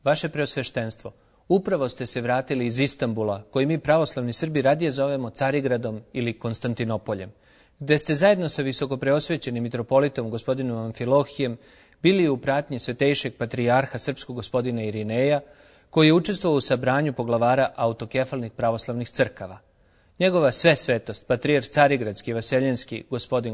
Vaše preosveštenstvo, upravo ste se vratili iz Istanbula, koji mi pravoslavni Srbi radije zovemo Carigradom ili Konstantinopoljem, gde ste zajedno sa visokopreosvećenim mitropolitom gospodinom Amfilohijem bili u pratnji svetejšeg patrijarha srpskog gospodina Irineja, koji je učestvovao u sabranju poglavara autokefalnih pravoslavnih crkava. Njegova sve svetost, patrijarh Carigradski i Vaseljenski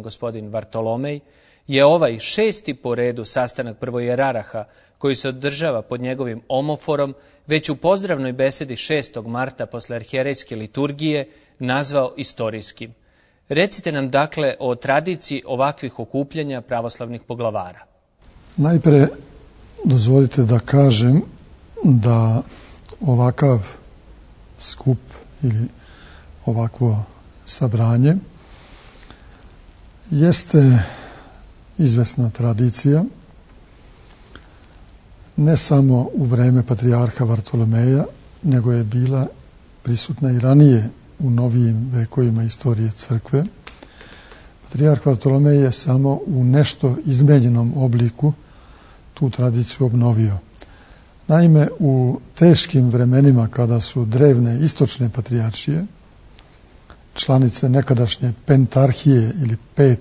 gospodin Vartolomej, je ovaj 6. po redu sastanak prvojeraraha koji se održava pod njegovim omoforom već u pozdravnoj besedi 6. marta posle arhijerejske liturgije nazvao istorijskim. Recite nam dakle o tradiciji ovakvih okupljanja pravoslavnih poglavara. Najpre dozvolite da kažem da ovakav skup ili ovakvo sabranje jeste izvesna tradicija, ne samo u vreme patrijarha Vartolomeja, nego je bila prisutna i ranije u novijim vekovima istorije crkve. Patrijarh Vartolomej je samo u nešto izmenjenom obliku tu tradiciju obnovio. Naime, u teškim vremenima kada su drevne istočne patrijaršije, članice nekadašnje pentarhije ili 5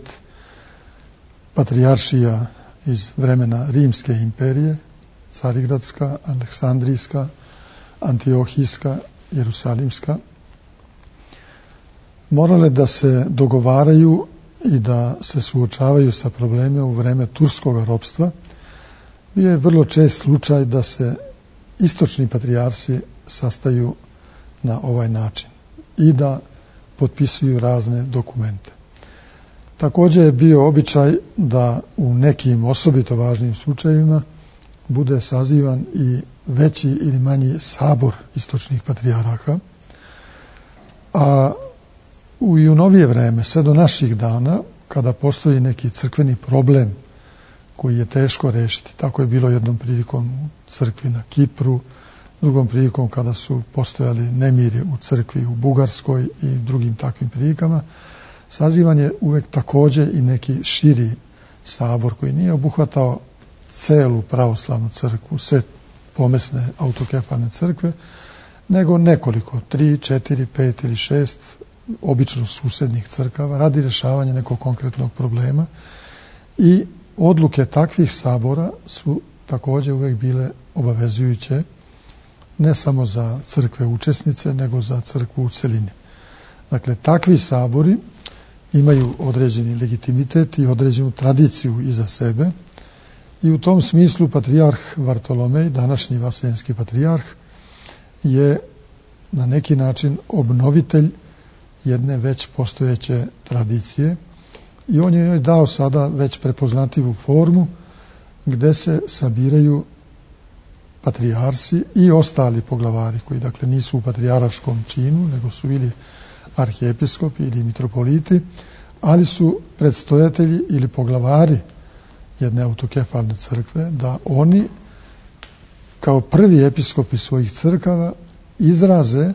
patrijaršija iz vremena Rimske imperije, Carigradska, Aleksandrijska, Antiohijska, Jerusalimska, morale da se dogovaraju i da se suočavaju sa problemima u vreme turskog ropstva. Bio je vrlo čest slučaj da se istočni patrijarsi sastaju na ovaj način i da potpisuju razne dokumente. Također je bio običaj da u nekim osobito važnim slučajevima bude sazivan i veći ili manji sabor istočnih patrijaraha, a i u novije vreme, sve do naših dana, kada postoji neki crkveni problem koji je teško rešiti, tako je bilo jednom prilikom u crkvi na Kipru, drugom prilikom kada su postojali nemiri u crkvi u Bugarskoj i drugim takvim prilikama, sazivan je uvek također i neki širi sabor koji nije obuhvatao celu pravoslavnu crkvu, sve pomesne autokefalne crkve, nego nekoliko, 3, 4, 5 ili 6 obično susednih crkava radi rešavanja nekog konkretnog problema i odluke takvih sabora su također uvek bile obavezujuće ne samo za crkve učesnice, nego za crkvu u celini. Dakle, takvi sabori imaju određeni legitimitet i određenu tradiciju iza sebe i u tom smislu patrijarh Vartolomej, današnji vaseljenski patrijarh, je na neki način obnovitelj jedne već postojeće tradicije i on je joj dao sada već prepoznatljivu formu gde se sabiraju patrijarsi i ostali poglavari koji dakle nisu u patrijaraškom činu, nego su ili arhijepiskopi ili mitropoliti, ali su predstojatelji ili poglavari jedne autokefalne crkve, da oni kao prvi episkopi svojih crkava izraze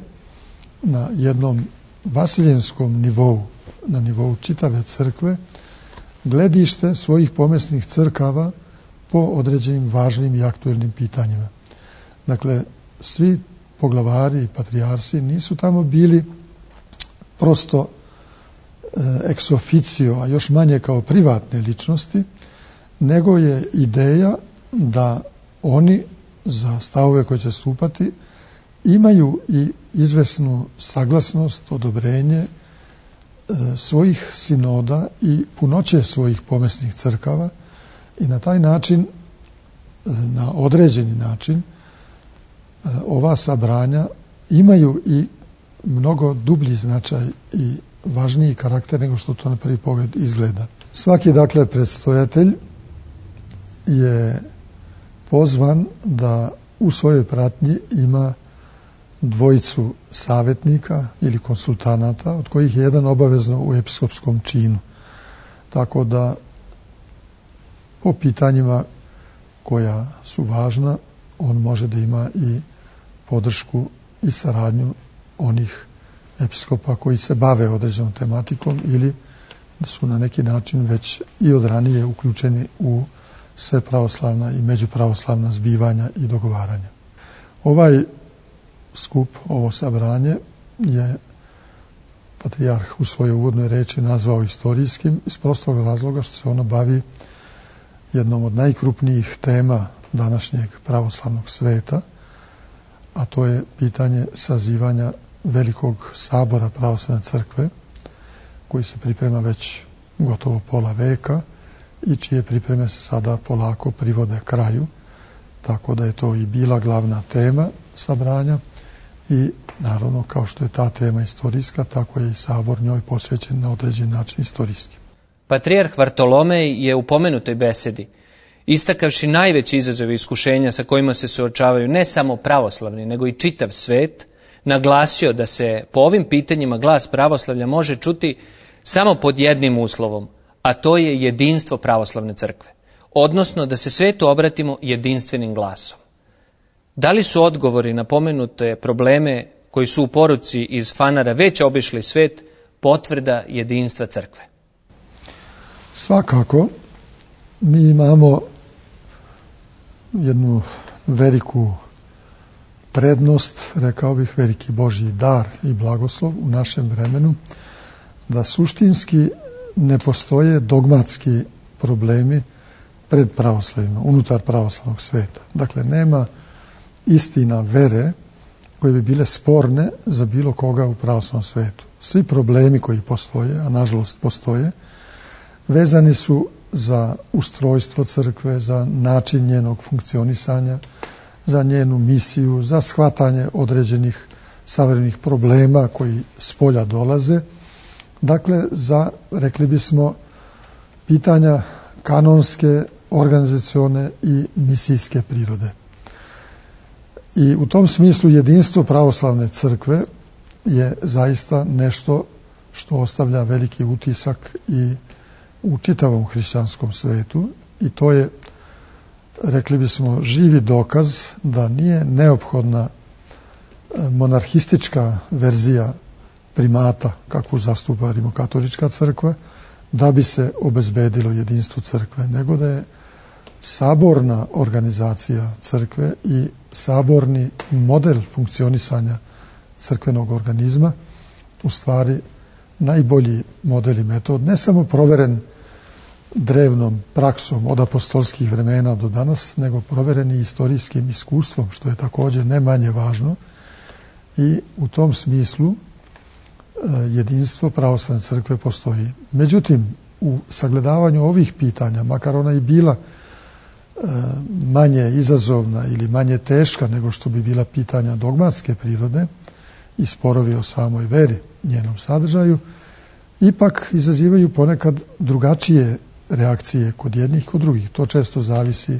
na jednom vasiljenskom nivou, na nivou čitave crkve, gledište svojih pomesnih crkava po određenim važnim i aktuelnim pitanjima. Dakle, svi poglavari i patrijarsi nisu tamo bili prosto ex officio, a još manje kao privatne ličnosti, nego je ideja da oni za stavove koje će stupati imaju i izvesnu saglasnost, odobrenje svojih sinoda i punoće svojih pomesnih crkava i na taj način, na određeni način, ova sabranja imaju i mnogo dublji značaj i važniji karakter nego što to na prvi pogled izgleda. Svaki, dakle, predstojatelj je pozvan da u svojoj pratnji ima dvojicu savjetnika ili konsultanata, od kojih je jedan obavezno u episkopskom činu. Tako da po pitanjima koja su važna, on može da ima i podršku i saradnju onih episkopa koji se bave određenom tematikom ili su na neki način već i od ranije uključeni u sve pravoslavna i međupravoslavna zbivanja i dogovaranja. Ovaj skup, ovo sabranje je patrijarh u svojoj uvodnoj reči nazvao istorijskim iz prostog razloga što se ono bavi jednom od najkrupnijih tema današnjeg pravoslavnog sveta, a to je pitanje sazivanja Velikog sabora pravoslavne crkve, koji se priprema već gotovo pola veka i čije pripreme se sada polako privode kraju, tako da je to i bila glavna tema sabranja i naravno kao što je ta tema istorijska, tako je i sabor njoj posvećen na određen način istorijski. Patrijarh Vartolomej je u pomenutoj besedi, istakavši najveći izazov i iskušenja sa kojima se suočavaju ne samo pravoslavni, nego i čitav svet, naglasio da se po ovim pitanjima glas pravoslavlja može čuti samo pod jednim uslovom, a to je jedinstvo pravoslavne crkve, odnosno da se svetu obratimo jedinstvenim glasom. Da li su odgovori na pomenute probleme koji su u poruci iz Fanara već obišli svet potvrda jedinstva crkve? Svakako, mi imamo jednu veliku prednost, rekao bih veliki Božji dar i blagoslov u našem vremenu, da suštinski ne postoje dogmatski problemi pred pravoslavima, unutar pravoslavnog sveta. Dakle, nema istina vere koje bi bile sporne za bilo koga u pravoslavnom svetu. Svi problemi koji postoje, a nažalost postoje, vezani su za ustrojstvo crkve, za način njenog funkcionisanja, za njenu misiju, za shvatanje određenih savremenih problema koji s polja dolaze. Dakle, za, rekli bismo, pitanja kanonske, organizacione i misijske prirode. I u tom smislu jedinstvo pravoslavne crkve je zaista nešto što ostavlja veliki utisak i u čitavom hrišćanskom svetu i to je, rekli bismo, živi dokaz da nije neophodna monarhistička verzija primata kakvu zastupa rimokatolička crkva da bi se obezbedilo jedinstvo crkve, nego da je saborna organizacija crkve i saborni model funkcionisanja crkvenog organizma u stvari najbolji model i metod, ne samo proveren drevnom praksom od apostolskih vremena do danas, nego proveren i istorijskim iskustvom, što je također ne manje važno. I u tom smislu jedinstvo pravoslavne crkve postoji. Međutim, u sagledavanju ovih pitanja, makar ona i bila manje izazovna ili manje teška nego što bi bila pitanja dogmatske prirode i sporovi o samoj veri, njenom sadržaju, ipak izazivaju ponekad drugačije reakcije kod jednih i kod drugih. To često zavisi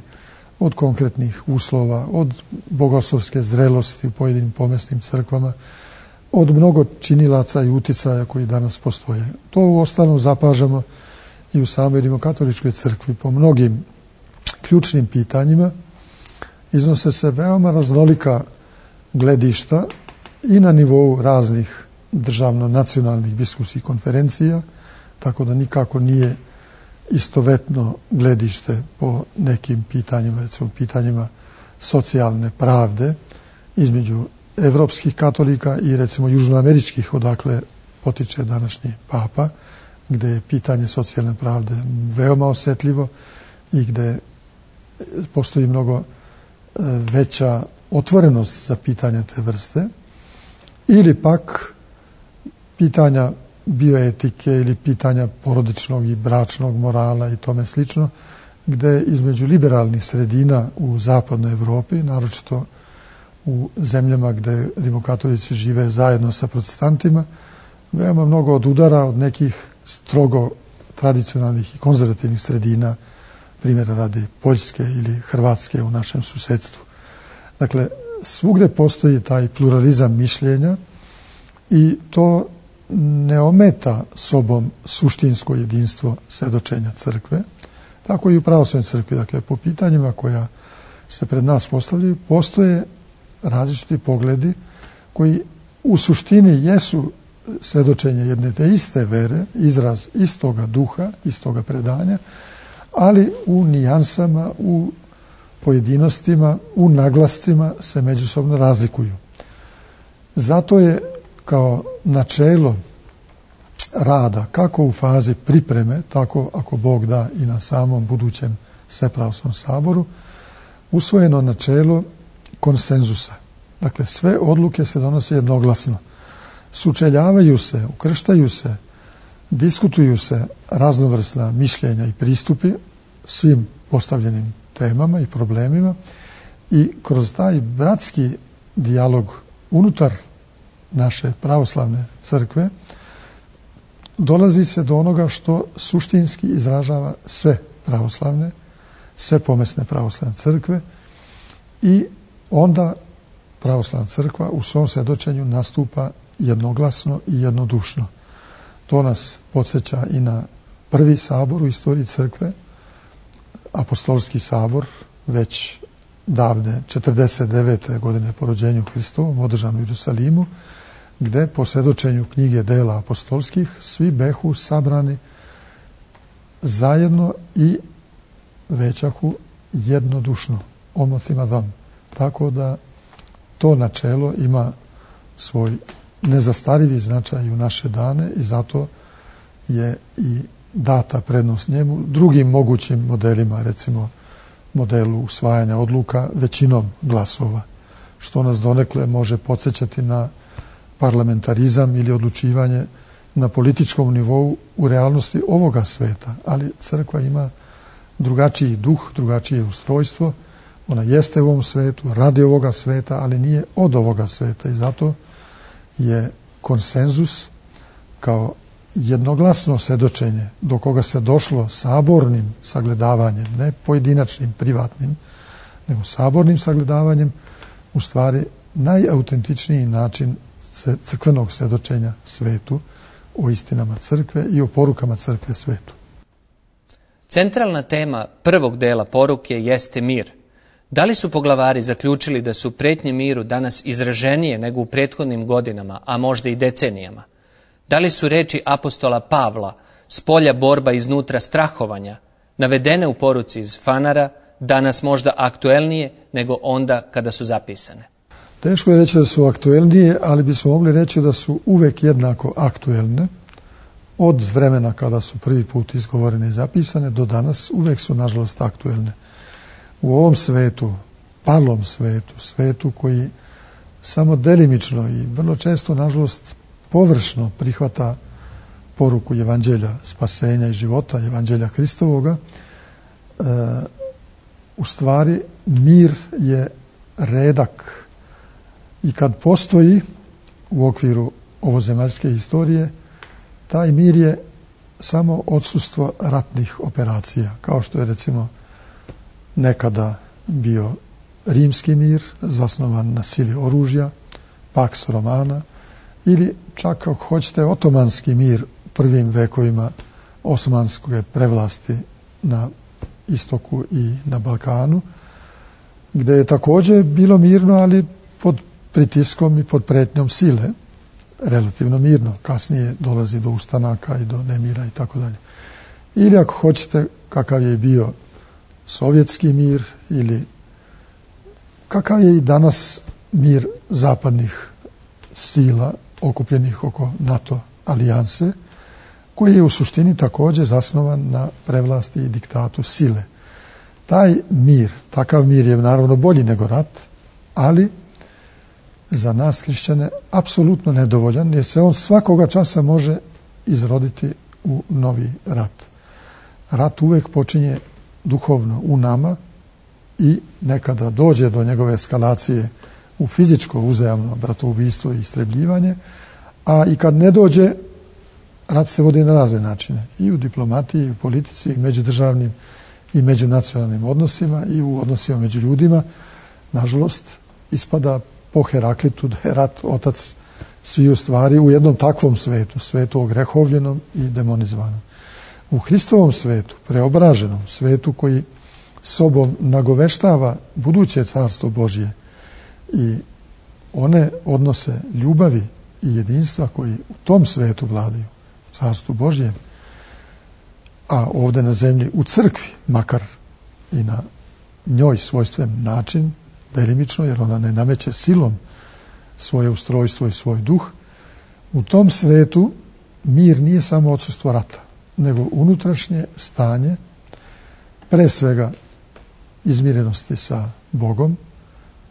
od konkretnih uslova, od bogoslovske zrelosti u pojedinim pomesnim crkvama, od mnogo činilaca i uticaja koji danas postoje. To u ostalom zapažamo i u samoj rimokatoličkoj crkvi po mnogim ključnim pitanjima. Iznose se veoma raznolika gledišta i na nivou raznih državno-nacionalnih biskupskih konferencija, tako da nikako nije istovetno gledište po nekim pitanjima, recimo pitanjima socijalne pravde između evropskih katolika i recimo južnoameričkih, odakle potiče današnji papa, gde je pitanje socijalne pravde veoma osetljivo i gde postoji mnogo veća otvorenost za pitanja te vrste, ili pak pitanja bioetike ili pitanja porodičnog i bračnog morala i tome slično, gde između liberalnih sredina u zapadnoj Evropi, naročito u zemljama gde rimokatolici žive zajedno sa protestantima, veoma mnogo odudara od nekih strogo tradicionalnih i konzervativnih sredina, primjera radi Poljske ili Hrvatske u našem susedstvu. Dakle, svugde postoji taj pluralizam mišljenja i to ne ometa sobom suštinsko jedinstvo svedočenja crkve, tako i u pravoslavnoj crkvi. Dakle, po pitanjima koja se pred nas postavljaju, postoje različiti pogledi koji u suštini jesu svedočenje jedne te iste vere, izraz istoga duha, istoga predanja, ali u nijansama, u pojedinostima, u naglascima se međusobno razlikuju. Zato je kao načelo rada, kako u fazi pripreme, tako ako Bog da i na samom budućem Svepravoslavnom saboru, usvojeno načelo konsenzusa. Dakle, sve odluke se donose jednoglasno. Sučeljavaju se, ukrštaju se, diskutuju se raznovrsna mišljenja i pristupi svim postavljenim temama i problemima i kroz taj bratski dijalog unutar naše pravoslavne crkve dolazi se do onoga što suštinski izražava sve pravoslavne, sve pomesne pravoslavne crkve i onda pravoslavna crkva u svom svjedočenju nastupa jednoglasno i jednodušno. To nas podsjeća i na prvi sabor u istoriji crkve, apostolski sabor, već davne 49. godine po rođenju Hristovom, održan u Jerusalimu, gde po svjedočenju knjige dela apostolskih svi behu sabrani zajedno i većahu jednodušno, omotima dom. Tako da to načelo ima svoj nezastarivi značaj u naše dane i zato je i data prednost njemu drugim mogućim modelima, recimo modelu usvajanja odluka većinom glasova, što nas donekle može podsjećati na parlamentarizam ili odlučivanje na političkom nivou u realnosti ovoga sveta, ali crkva ima drugačiji duh, drugačije ustrojstvo, ona jeste u ovom svetu, radi ovoga sveta, ali nije od ovoga sveta i zato je konsenzus kao jednoglasno svjedočenje do koga se došlo sabornim sagledavanjem, ne pojedinačnim, privatnim, nego sabornim sagledavanjem, u stvari najautentičniji način crkvenog svjedočenja svetu o istinama crkve i o porukama crkve svetu. Centralna tema prvog dela poruke jeste mir. Da li su poglavari zaključili da su pretnje miru danas izraženije nego u prethodnim godinama, a možda i decenijama? Da li su reči apostola Pavla, spolja borba, iznutra strahovanja, navedene u poruci iz Fanara, danas možda aktuelnije nego onda kada su zapisane? Teško je reći da su aktuelnije, ali bismo mogli reći da su uvek jednako aktuelne. Od vremena kada su prvi put izgovorene i zapisane do danas uvek su nažalost aktuelne. U ovom svetu, palom svetu, svetu koji samo delimično i vrlo često nažalost površno prihvata poruku evanđelja spasenja i života, evanđelja Hristovoga, u stvari mir je redak i kad postoji u okviru ovozemaljske historije, taj mir je samo odsustvo ratnih operacija, kao što je recimo nekada bio rimski mir, zasnovan na sili oružja, Pax Romana, ili čak ako hoćete otomanski mir prvim vekovima osmanske prevlasti na istoku i na Balkanu, gde je također bilo mirno, ali pod pritiskom i pod pretnjom sile, relativno mirno. Kasnije dolazi do ustanaka i do nemira i tako dalje. Ili ako hoćete kakav je bio sovjetski mir ili kakav je i danas mir zapadnih sila okupljenih oko NATO alijanse, koji je u suštini također zasnovan na prevlasti i diktatu sile. Taj mir, takav mir je naravno bolji nego rat, ali za nas hrišćane apsolutno nedovoljan, jer se on svakoga časa može izroditi u novi rat. Rat uvek počinje duhovno u nama i nekada dođe do njegove eskalacije u fizičko uzajamno bratoubistvo i istrebljivanje, a i kad ne dođe, rat se vodi na razne načine. I u diplomatiji, i u politici, i međudržavnim i međunacionalnim odnosima, i u odnosima među ljudima. Nažalost, ispada po Heraklitu da je rat otac sviju stvari u jednom takvom svetu, svetu ogrehovljenom i demonizovanom. U Hristovom svetu, preobraženom svetu koji sobom nagoveštava buduće carstvo Božje i one odnose ljubavi i jedinstva koji u tom svetu vladaju, carstvu Božjem, a ovdje na zemlji u crkvi, makar i na njoj svojstven način, delimično, jer ona ne nameće silom svoje ustrojstvo i svoj duh, u tom svetu mir nije samo odsustvo rata, nego unutrašnje stanje, pre svega izmirenosti sa Bogom,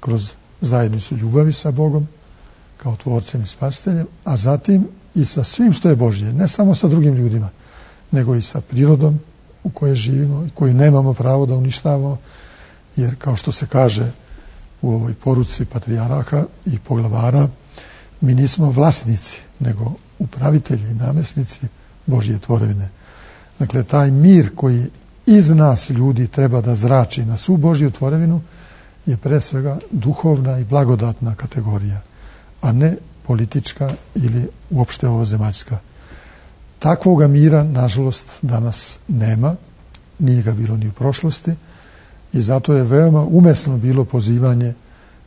kroz zajednicu ljubavi sa Bogom, kao tvorcem i spasiteljem, a zatim i sa svim što je Božje, ne samo sa drugim ljudima, nego i sa prirodom u kojoj živimo i koju nemamo pravo da uništavamo, jer kao što se kaže u ovoj poruci patrijarha i poglavara, mi nismo vlasnici, nego upravitelji i namjesnici Božje tvorevine. Dakle, taj mir koji iz nas ljudi treba da zrači na svu Božju tvorevinu je pre svega duhovna i blagodatna kategorija, a ne politička ili uopšte ovozemaljska. Takvoga mira, nažalost, danas nema, nije ga bilo ni u prošlosti i zato je veoma umesno bilo pozivanje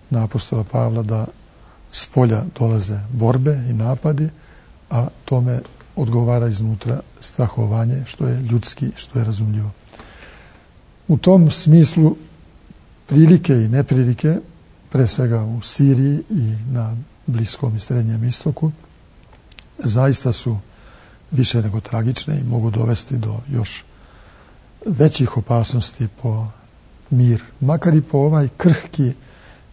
na apostola Pavla da s polja dolaze borbe i napadi, a tome odgovara iznutra strahovanje, što je ljudski, što je razumljivo. U tom smislu prilike i neprilike, pre svega u Siriji i na Bliskom i Srednjem istoku, zaista su više nego tragične i mogu dovesti do još većih opasnosti po mir, makar i po ovaj krhki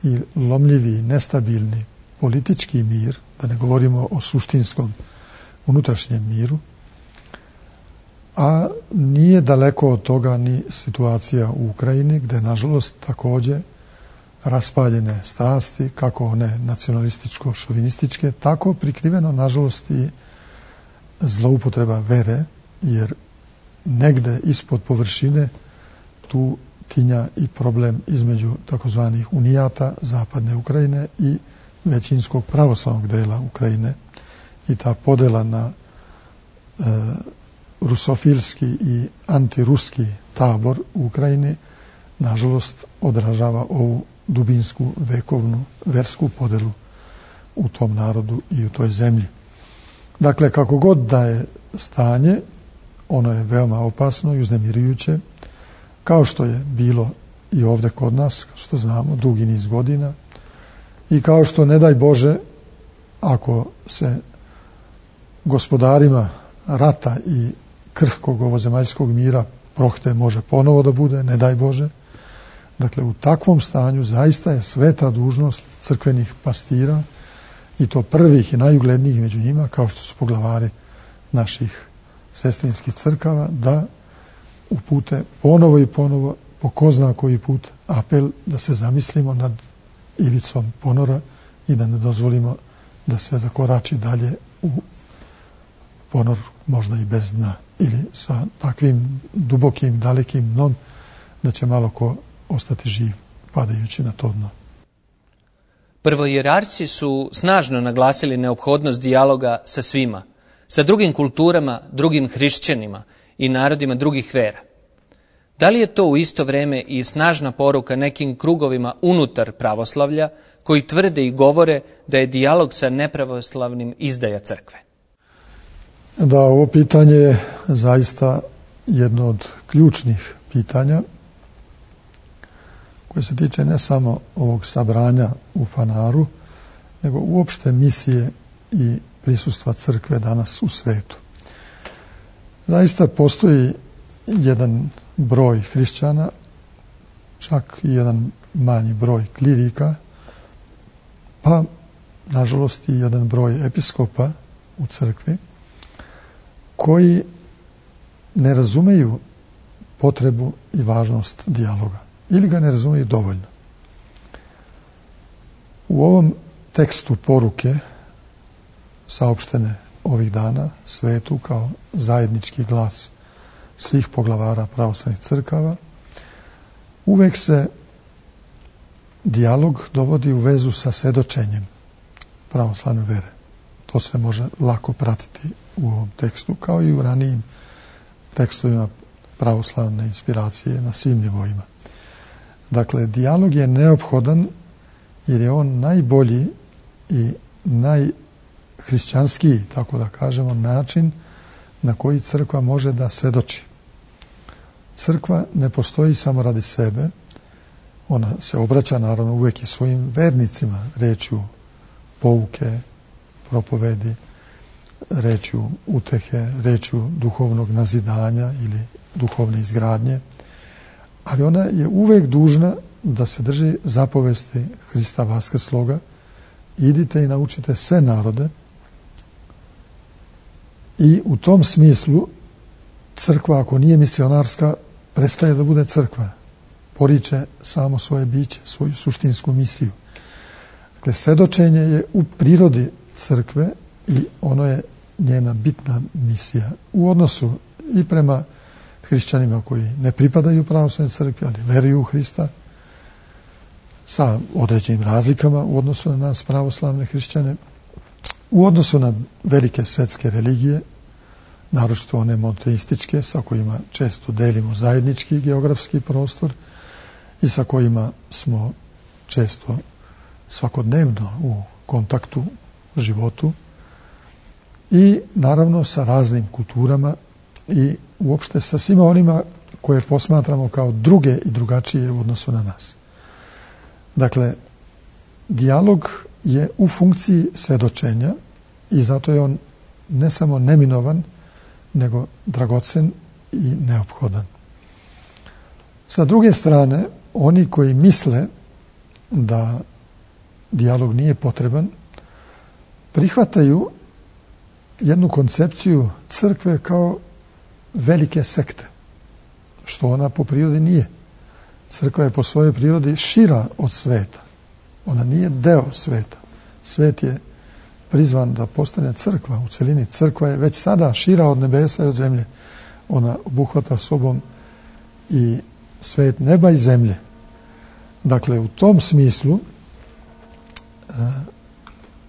i lomljivi, nestabilni politički mir, da ne govorimo o suštinskom unutrašnjem miru, a nije daleko od toga ni situacija u Ukrajini, gde nažalost takođe raspaljene strasti, kako one nacionalističko-šovinističke, tako prikriveno nažalost i zloupotreba vere, jer negde ispod površine tu tinja i problem između takozvanih unijata zapadne Ukrajine i većinskog pravoslavnog dela Ukrajine i ta podela na rusofilski i antiruski tabor u Ukrajini nažalost odražava ovu dubinsku, vekovnu, versku podelu u tom narodu i u toj zemlji. Dakle, kako god da je stanje, ono je veoma opasno i uznemirujuće, kao što je bilo i ovde kod nas, kao što znamo, dugi niz godina, i kao što, ne daj Bože, ako se gospodarima rata i krhkog ovozemaljskog mira prohte može ponovo da bude, ne daj Bože. Dakle, u takvom stanju zaista je sveta dužnost crkvenih pastira, i to prvih i najuglednijih među njima, kao što su poglavari naših sestrinskih crkava, da upute ponovo i ponovo, po ko zna koji put, apel da se zamislimo nad ivicom ponora i da ne dozvolimo da se zakorači dalje u ponor, možda i bez dna, ili sa takvim dubokim, dalekim dnom da će malo ko ostati živ padajući na to dno. Prvohijerarsi su snažno naglasili neophodnost dijaloga sa svima, sa drugim kulturama, drugim hrišćanima i narodima drugih vera. Da li je to u isto vreme i snažna poruka nekim krugovima unutar pravoslavlja koji tvrde i govore da je dijalog sa nepravoslavnim izdaja crkve? Da, ovo pitanje je zaista jedno od ključnih pitanja koje se tiče ne samo ovog sabranja u Fanaru, nego uopšte misije i prisustva crkve danas u svetu. Zaista postoji jedan broj hrišćana, čak i jedan manji broj klirika, pa nažalost i jedan broj episkopa u crkvi, koji ne razumeju potrebu i važnost dijaloga ili ga ne razumeju dovoljno. U ovom tekstu poruke saopštene ovih dana svetu kao zajednički glas svih poglavara pravoslavnih crkava, uvek se dijalog dovodi u vezu sa svedočenjem pravoslavne vere. To se može lako pratiti u ovom tekstu, kao i u ranijim tekstovima pravoslavne inspiracije na svim nivoima. Dakle, dijalog je neophodan jer je on najbolji i najhrišćanskiji, tako da kažemo, način na koji crkva može da svedoči. Crkva ne postoji samo radi sebe, Ona se obraća naravno uvijek i svojim vernicima, rečju pouke, propovedi, rečju utehe, rečju duhovnog nazidanja ili duhovne izgradnje, ali ona je uvijek dužna da se drži zapovesti Hrista vaskrsloga: idite i naučite sve narode. I u tom smislu crkva, ako nije misionarska, prestaje da bude crkva. Poriče samo svoje biće, svoju suštinsku misiju. Dakle, svedočenje je u prirodi crkve i ono je njena bitna misija u odnosu i prema hrišćanima koji ne pripadaju pravoslavnoj crkvi, ali veruju u Hrista, sa određenim razlikama u odnosu na nas pravoslavne hrišćane, u odnosu na velike svetske religije, naročito one monoteističke, sa kojima često delimo zajednički geografski prostor i sa kojima smo često svakodnevno u kontaktu, životu, i naravno sa raznim kulturama i uopšte sa svima onima koje posmatramo kao druge i drugačije u odnosu na nas. Dakle, dijalog je u funkciji svedočenja i zato je on ne samo neminovan, nego dragocen i neophodan. Sa druge strane, oni koji misle da dijalog nije potreban, prihvataju jednu koncepciju crkve kao velike sekte, što ona po prirodi nije. Crkva je po svojoj prirodi šira od sveta. Ona nije deo sveta. Svet je prizvan da postane crkva u celini. Crkva je već sada šira od nebesa i od zemlje. Ona obuhvata sobom i svet neba i zemlje. Dakle, u tom smislu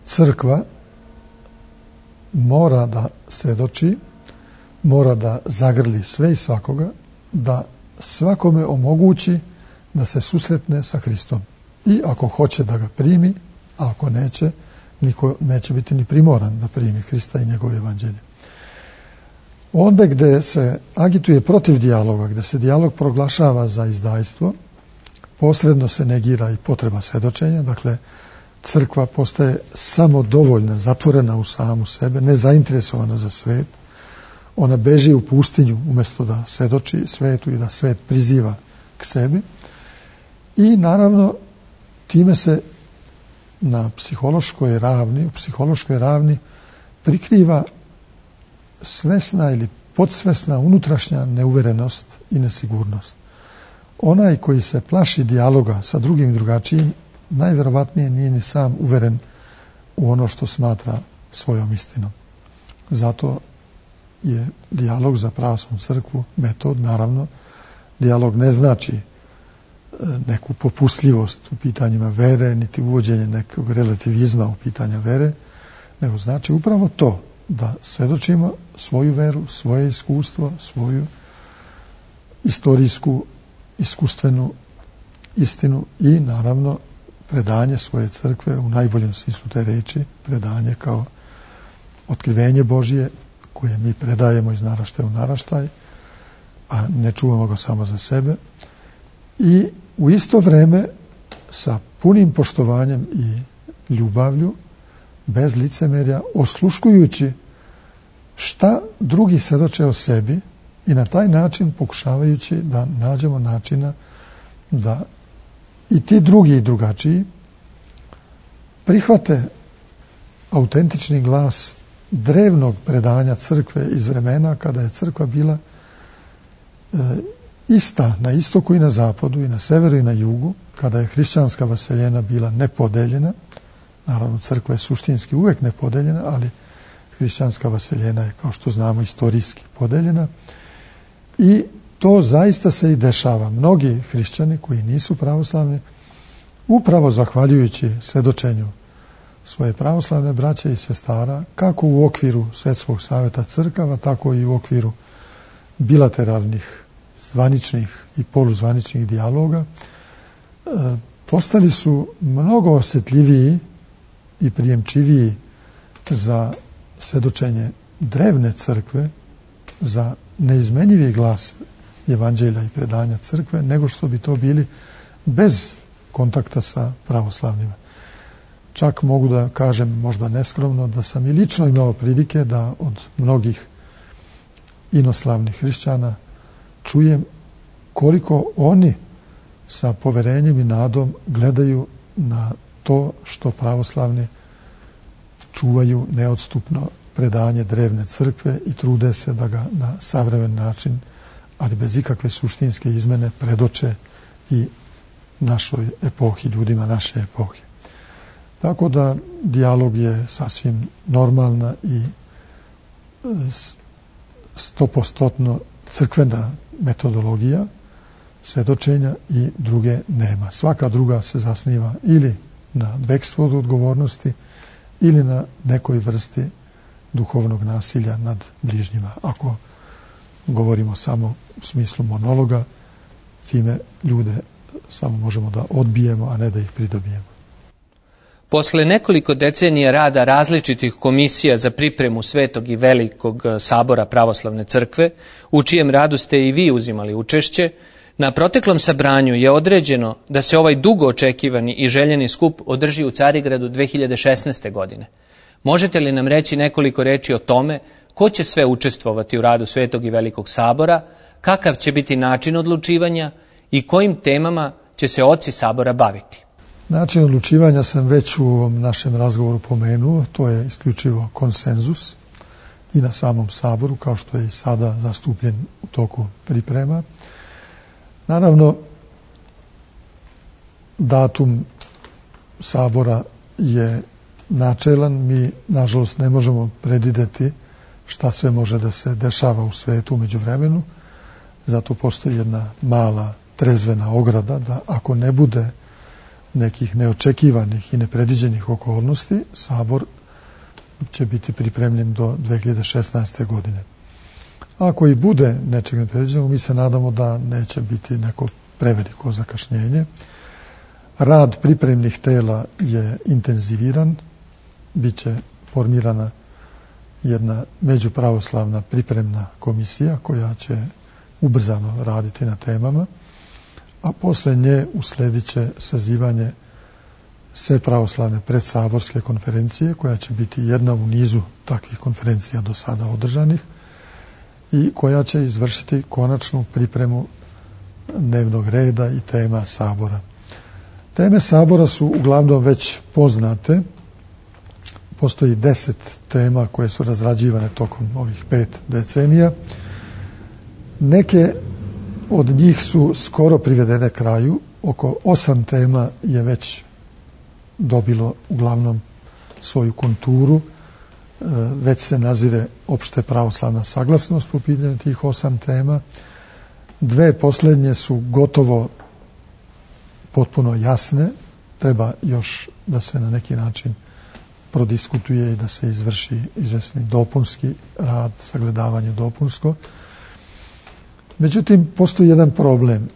crkva mora da svedoči, mora da zagrli sve i svakoga, da svakome omogući da se susretne sa Hristom. I ako hoće da ga primi, a ako neće, niko neće biti ni primoran da primi Hrista i njegovo evanđelje. Onda gde se agituje protiv dijaloga, gde se dijalog proglašava za izdajstvo, posredno se negira i potreba svedočenja. Dakle, crkva postaje samodovoljna, zatvorena u samu sebe, nezainteresovana za svet. Ona beži u pustinju umjesto da svedoči svetu i da svet priziva k sebi. I naravno, time se na psihološkoj ravni, u psihološkoj ravni prikriva svesna ili podsvesna unutrašnja neuverenost i nesigurnost. Onaj koji se plaši dijaloga sa drugim drugačijim, najverovatnije nije ni sam uveren u ono što smatra svojom istinom. Zato je dijalog za pravoslavnu crkvu metod, naravno. Dijalog ne znači neku popustljivost u pitanjima vere, niti uvođenje nekog relativizma u pitanja vere, nego znači upravo to, da svedočimo svoju veru, svoje iskustvo, svoju istorijsku, iskustvenu istinu i naravno predanje svoje crkve u najboljem smislu te reči, predanje kao otkrivenje Božje koje mi predajemo iz naraštaja u naraštaj, a ne čuvamo ga samo za sebe, i u isto vreme sa punim poštovanjem i ljubavlju, bez licemerja, osluškujući šta drugi svedoče o sebi i na taj način pokušavajući da nađemo načina da i ti drugi i drugačiji prihvate autentični glas drevnog predanja crkve iz vremena kada je crkva bila ista na istoku i na zapadu, i na severu i na jugu, kada je hrišćanska vaseljena bila nepodeljena. Naravno, crkva je suštinski uvek nepodeljena, ali hrišćanska vaseljena je, kao što znamo, istorijski podeljena. I to zaista se i dešava. Mnogi hrišćani koji nisu pravoslavni, upravo zahvaljujući svedočenju svoje pravoslavne braće i sestara, kako u okviru Svetskog saveta crkava, tako i u okviru bilateralnih, zvaničnih i poluzvaničnih dijaloga, postali su mnogo osjetljiviji i prijemčiviji za svedočenje drevne crkve, za neizmenjivi glas evanđelja i predanja crkve, nego što bi to bili bez kontakta sa pravoslavnima. Čak mogu da kažem, možda neskromno, da sam i lično imao prilike da od mnogih inoslavnih hrišćana čujem koliko oni sa poverenjem i nadom gledaju na to što pravoslavni čuvaju neodstupno predanje drevne crkve i trude se da ga na savremen način, ali bez ikakve suštinske izmene, predoče i našoj epohi, ljudima naše epohe. Tako da dijalog je sasvim normalna i 100% crkvena metodologija svedočenja i druge nema. Svaka druga se zasniva ili na bekstvu od odgovornosti ili na nekoj vrsti duhovnog nasilja nad bližnjima. Ako govorimo samo u smislu monologa, time ljude samo možemo da odbijemo, a ne da ih pridobijemo. Posle nekoliko decenija rada različitih komisija za pripremu Svetog i Velikog sabora Pravoslavne crkve, u čijem radu ste i vi uzimali učešće, na proteklom sabranju je određeno da se ovaj dugo očekivani i željeni skup održi u Carigradu 2016. godine. Možete li nam reći nekoliko reči o tome ko će sve učestvovati u radu Svetog i Velikog sabora, kakav će biti način odlučivanja i kojim temama će se oci sabora baviti? Način odlučivanja sam već u ovom našem razgovoru pomenuo, to je isključivo konsenzus i na samom saboru, kao što je i sada zastupljen u toku priprema. Naravno, datum sabora je načelan, mi nažalost ne možemo predvideti šta sve može da se dešava u svetu u međuvremenu, zato postoji jedna mala trezvena ograda da ako ne bude nekih neočekivanih i nepredviđenih okolnosti, sabor će biti pripremljen do 2016. godine. Ako i bude nečeg nepredviđenog, mi se nadamo da neće biti neko preveliko zakašnjenje. Rad pripremnih tela je intenziviran, biće formirana jedna međupravoslavna pripremna komisija koja će ubrzano raditi na temama, a posle nje usledit će sazivanje sve pravoslavne predsaborske konferencije, koja će biti jedna u nizu takvih konferencija do sada održanih i koja će izvršiti konačnu pripremu dnevnog reda i tema sabora. Teme sabora su uglavnom već poznate. Postoji 10 tema koje su razrađivane tokom ovih 5 decenija. Neke od njih su skoro privedene kraju. Oko 8 tema je već dobilo uglavnom svoju konturu. Već se nazire opšte pravoslavna saglasnost po pitanju tih 8 tema. 2 poslednje su gotovo potpuno jasne. Treba još da se na neki način prodiskutuje i da se izvrši izvesni dopunski rad, sagledavanje dopunsko. Međutim, postoji jedan problem.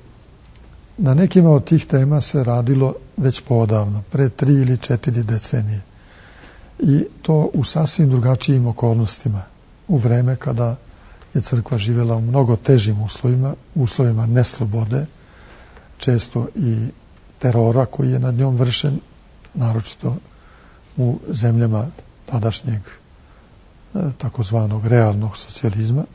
Na nekima od tih tema se radilo već poodavno, pre 3 ili 4 decenije. I to u sasvim drugačijim okolnostima, u vreme kada je crkva živjela u mnogo težim uslovima neslobode, često i terora koji je nad njom vršen, naročito u zemljama tadašnjeg takozvanog realnog socijalizma.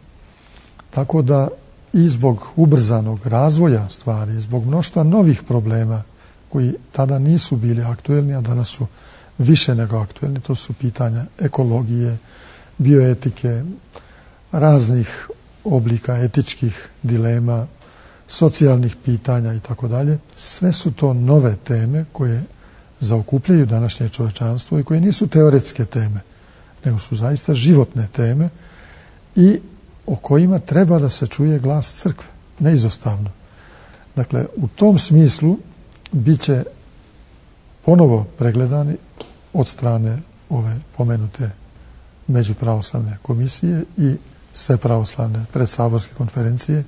Tako da i zbog ubrzanog razvoja stvari, zbog mnoštva novih problema koji tada nisu bili aktuelni, a danas su više nego aktuelni, to su pitanja ekologije, bioetike, raznih oblika etičkih dilema, socijalnih pitanja i tako dalje. Sve su to nove teme koje zaokupljaju današnje čovečanstvo i koje nisu teoretske teme, nego su zaista životne teme i o kojima treba da se čuje glas crkve, neizostavno. Dakle, u tom smislu bit će ponovo pregledani od strane ove pomenute međupravoslavne komisije i sve pravoslavne predsaborske konferencije,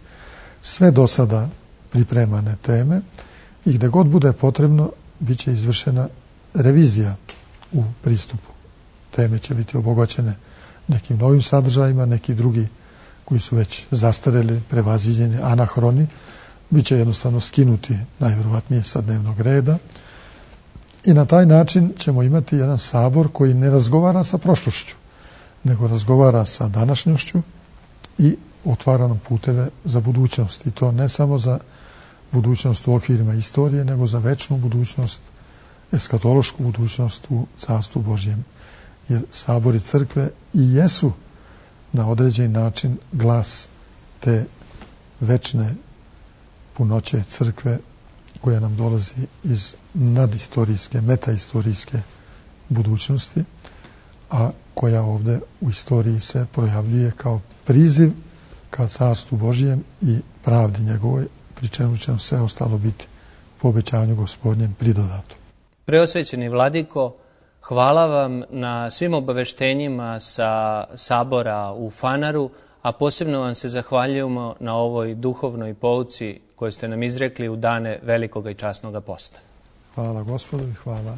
sve do sada pripremane teme i gde god bude potrebno bit će izvršena revizija u pristupu. Teme će biti obogaćene nekim novim sadržajima, neki drugi koji su već zastareli, prevaziđeni, anahroni, biće jednostavno skinuti najvjerovatnije sa dnevnog reda i na taj način ćemo imati jedan sabor koji ne razgovara sa prošlošću, nego razgovara sa današnjošću i otvara nam puteve za budućnost. I to ne samo za budućnost u okvirima istorije, nego za večnu budućnost, eskatološku budućnost u Carstvu Božjem. Jer sabori crkve i jesu na određeni način glas te večne punoće crkve koja nam dolazi iz nadistorijske, metaistorijske budućnosti, a koja ovdje u istoriji se projavljuje kao priziv ka Carstvu Božjem i pravdi njegovoj, pri čemu će sve ostalo biti po obećanju Gospodnjem pridodato. Preosvećeni vladiko, hvala vam na svim obaveštenjima sa sabora u Fanaru, a posebno vam se zahvaljujemo na ovoj duhovnoj pouci koju ste nam izrekli u dane velikog i časnog posta. Hvala Gospodu i hvala.